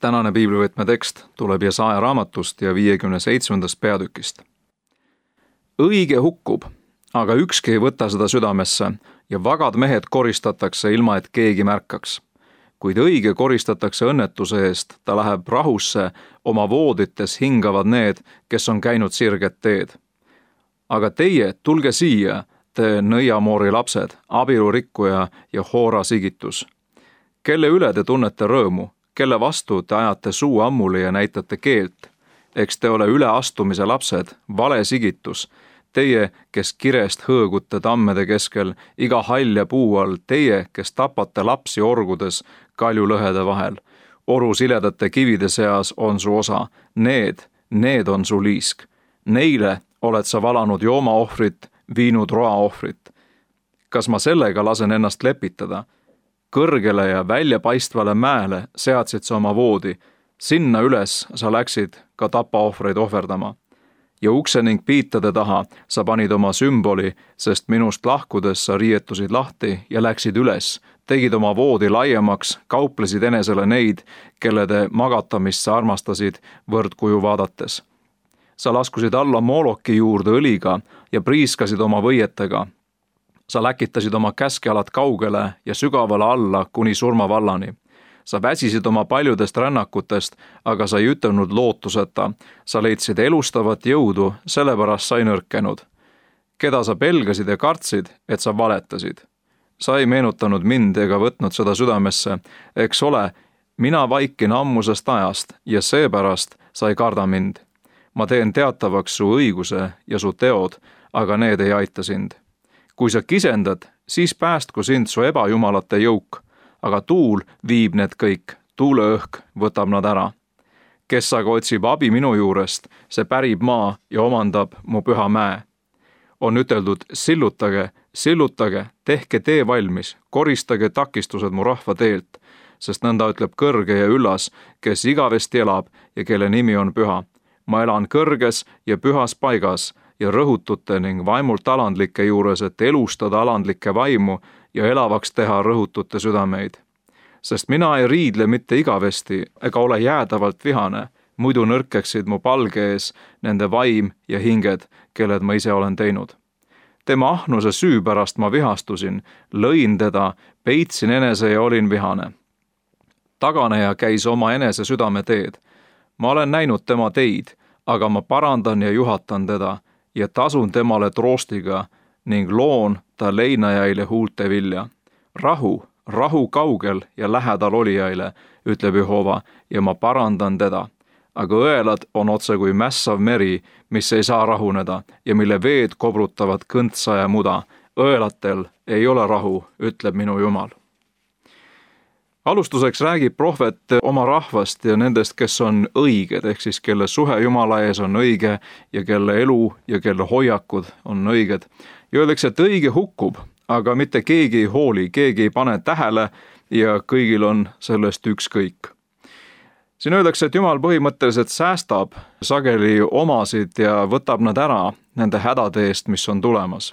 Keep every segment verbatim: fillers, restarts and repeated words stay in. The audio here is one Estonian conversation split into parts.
Tänane piiblivõtme tekst tuleb Jesaja raamatust ja viiekümne seitsmendast peatükist. Õige hukkub, aga ükski ei võta seda südamesse ja vagad mehed koristatakse ilma, et keegi märkaks. Kuid õige koristatakse õnnetuse eest, ta läheb rahusse, oma voodites hingavad need, kes on käinud sirget teed. Aga teie, tulge siia, te nõiamoori lapsed, abielurikkuja ja hoora sigitus. Kelle üle te tunnete rõõmu? Kelle vastu te ajate suu ammuli ja näitate keelt? Eks te ole üleastumise lapsed, vale sigitus. Teie, kes kirest hõõgute tammede keskel, iga halja puu all, teie, kes tapate lapsi orgudes kaljulõhede vahel. Oru siledate kivide seas on su osa. Need, need on su liisk. Neile oled sa valanud joomaohvrit, viinud roaohvrit. Kas ma sellega lasen ennast lepitada? Kõrgele ja väljapaistvale mäele seadsid sa oma voodi, sinna üles sa läksid ka tapaohvreid ohverdama. Ja ukse ning piitade taha sa panid oma sümboli, sest minust lahkudes sa riietusid lahti ja läksid üles, tegid oma voodi laiemaks, kauplesid enesele neid, kelle te magatamist sa armastasid võrdkuju vaadates. Sa laskusid alla Moloki juurde õliga ja priiskasid oma võietega. Sa läkitasid oma käskealad kaugele ja sügavale alla kuni surmavallani. Sa väsisid oma paljudest rännakutest, aga sa ei ütelnud lootuseta. Sa leidsid elustavat jõudu, sellepärast sa ei nõrkenud. Keda sa pelgasid ja kartsid, et sa valetasid? Sa ei meenutanud mind ega võtnud seda südamesse. Eks ole, mina vaikin ammusest ajast ja seepärast sa ei karda mind. Ma teen teatavaks su õiguse ja su teod, aga need ei aita sind. Kui sa kisendad, siis päästku sind su ebajumalate jõuk, aga tuul viib need kõik, tuuleõhk võtab nad ära. Kes aga otsib abi minu juurest, see pärib maa ja omandab mu püha mäe. On üteldud, sillutage, sillutage, tehke tee valmis, koristage takistused mu rahva teelt, sest nõnda ütleb kõrge ja üllas, kes igavesti elab ja kelle nimi on püha. Ma elan kõrges ja pühas paigas, ja rõhutute ning vaimult alandlike juures, et elustada alandlikke vaimu ja elavaks teha rõhutute südameid. Sest mina ei riidle mitte igavesti ega ole jäädavalt vihane, muidu nõrkeksid mu palge ees nende vaim ja hinged, kelled ma ise olen teinud. Tema ahnuse süü pärast ma vihastusin, lõin teda, peitsin enese ja olin vihane. Taganeja käis oma enese südame teed. Ma olen näinud tema teid, aga ma parandan ja juhatan teda, ja tasun temale troostiga ning loon ta leinajaile huulte vilja. Rahu, rahu kaugel ja lähedal olijaile, ütleb Jehova, ja ma parandan teda. Aga õelad on otse kui mässav meri, mis ei saa rahuneda ja mille veed kobrutavad kõntsa ja muda. Õelatel ei ole rahu, ütleb minu Jumal. Alustuseks räägib prohvet oma rahvast ja nendest, kes on õiged, ehk siis kelle suhe Jumala ees on õige ja kelle elu ja kelle hoiakud on õiged. Ja öeldakse, et õige hukkub, aga mitte keegi ei hooli, keegi ei pane tähele ja kõigil on sellest ükskõik. Siin öeldakse, et Jumal põhimõtteliselt säästab sageli omasid ja võtab nad ära nende hädade eest, mis on tulemas.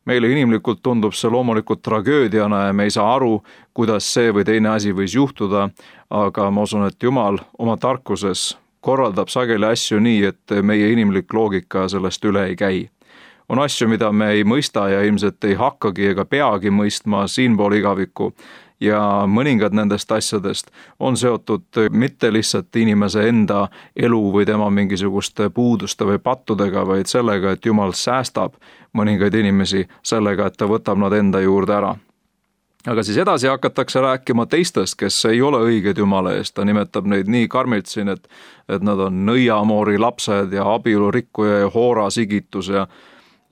Meile inimlikult tundub see loomulikult tragöödiana ja me ei saa aru, kuidas see või teine asi võis juhtuda, aga ma usun, et Jumal oma tarkuses korraldab sageli asju nii, et meie inimlik loogika sellest üle ei käi. On asju, mida me ei mõista ja ilmselt ei hakkagi ega peagi mõistma siinpool igavikku ja mõningad nendest asjadest on seotud mitte lihtsalt inimese enda elu või tema mingisuguste puuduste või pattudega, vaid sellega, et Jumal säästab mõningaid inimesi sellega, et ta võtab nad enda juurde ära. Aga siis edasi hakatakse rääkima teistest, kes ei ole õiged Jumala eest. Ta nimetab neid nii karmilt siin, et, et nad on nõiamoori lapsed ja abielurikkuja ja hoora sigitus ja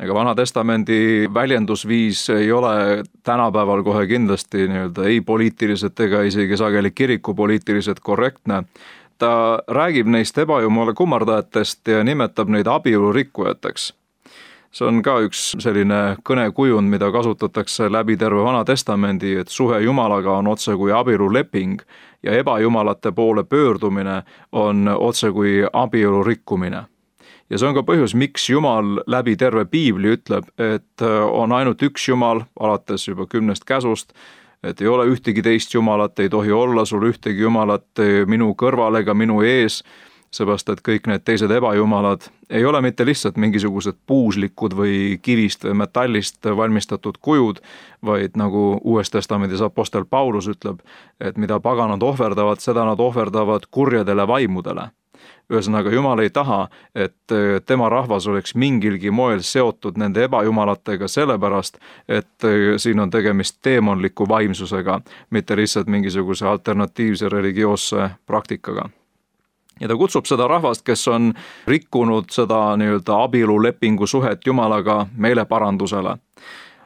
ega Vana Testamendi väljendusviis ei ole tänapäeval kohe kindlasti nii-öelda ei poliitiliselt ega isegi sageli kirikupoliitiliselt korrektne. Ta räägib neist ebajumala kummardajatest ja nimetab neid abielurikkujateks. See on ka üks selline kõnekujund, mida kasutatakse läbi terve Vana Testamendi, et suhe Jumalaga on otse kui abieluleping ja ebajumalate poole pöördumine on otse kui abielu rikkumine. Ja see on ka põhjus, miks Jumal läbi terve piibli ütleb, et on ainult üks Jumal, alates juba kümnest käsust, et ei ole ühtegi teist jumalat, ei tohi olla sul ühtegi jumalat minu kõrval ega minu ees, seepärast et kõik need teised ebajumalad ei ole mitte lihtsalt mingisugused puuslikud või kivist või metallist valmistatud kujud, vaid nagu Uues Testamendis apostel Paulus ütleb, et mida paganad ohverdavad, seda nad ohverdavad kurjadele vaimudele. Ühesõnaga, Jumal ei taha, et tema rahvas oleks mingilgi moel seotud nende ebajumalatega sellepärast, et siin on tegemist teemonliku vaimsusega, mitte lihtsalt mingisuguse alternatiivse religioosse praktikaga. Ja ta kutsub seda rahvast, kes on rikkunud seda nii-öelda abielulepingu suhet Jumalaga meeleparandusele.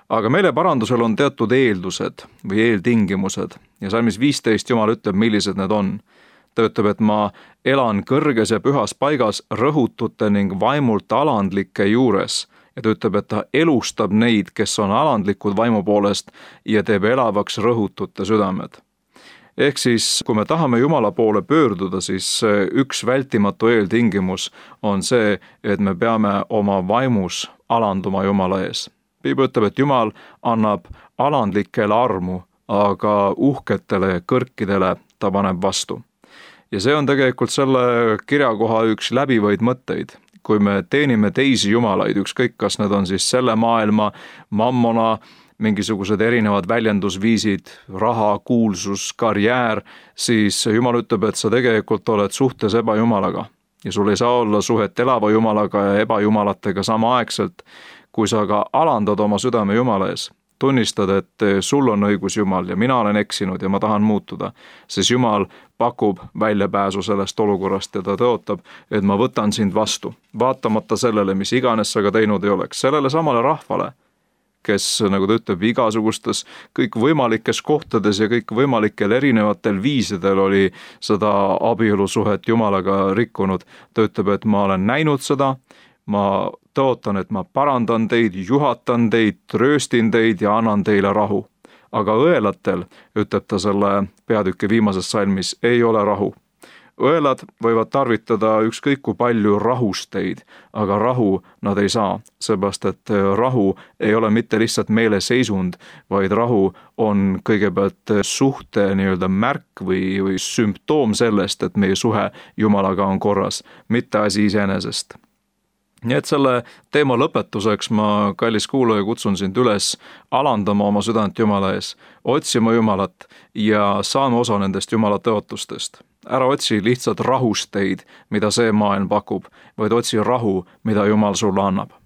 Aga meeleparandusel on teatud eeldused või eeltingimused ja salmis viisteist Jumal ütleb, millised need on. Ta ütleb, et ma elan kõrges ja pühas paigas rõhutute ning vaimult alandlike juures. Ja ta ütleb, et ta elustab neid, kes on alandlikud vaimu poolest ja teeb elavaks rõhutute südamed. Ehk siis, kui me tahame Jumala poole pöörduda, siis üks vältimatu eeltingimus on see, et me peame oma vaimus alanduma Jumala ees. Piibel ütleb, et Jumal annab alandlikele armu, aga uhketele kõrkidele ta paneb vastu. Ja see on tegelikult selle kirjakoha üks läbivaid mõtteid. Kui me teenime teisi jumalaid, ükskõik kas need on siis selle maailma, mammona, mingisugused erinevad väljendusviisid, raha, kuulsus, karjäär, siis Jumal ütleb, et sa tegelikult oled suhtes ebajumalaga. Ja sul ei saa olla suhet elava jumalaga ja ebajumalatega samaaegselt, kui sa ka alandad oma südame Jumala ees. Tunnistad, et sul on õigus Jumal ja mina olen eksinud ja ma tahan muutuda, siis Jumal pakub väljapääsu sellest olukorrast ja ta tõotab, et ma võtan sind vastu, vaatamata sellele, mis iganes sa ka teinud ei oleks, sellele samale rahvale, kes, nagu ta ütleb, igasugustes kõik võimalikes kohtades ja kõik võimalikel erinevatel viisidel oli seda abielusuhet Jumalaga rikkunud. Ta ütleb, et ma olen näinud seda, ma tõotan, et ma parandan teid, juhatan teid, trööstin teid ja annan teile rahu. Aga õelatel, ütleb ta selle peatüki viimases salmis, ei ole rahu. Õelad võivad tarvitada ükskõik kui palju rahusteid, aga rahu nad ei saa, seepärast et rahu ei ole mitte lihtsalt meeleseisund, vaid rahu on kõigepealt suhte nii-öelda märk või, või sümptoom sellest, et meie suhe Jumalaga on korras, mitte asi iseenesest. Nii et selle teema lõpetuseks ma, kallis kuulaja, kutsun sind üles alandama oma südant Jumala ees, otsima Jumalat ja saama osa nendest Jumala tõotustest. Ära otsi lihtsalt rahusteid, mida see maailm pakub, vaid otsi rahu, mida Jumal sulle annab.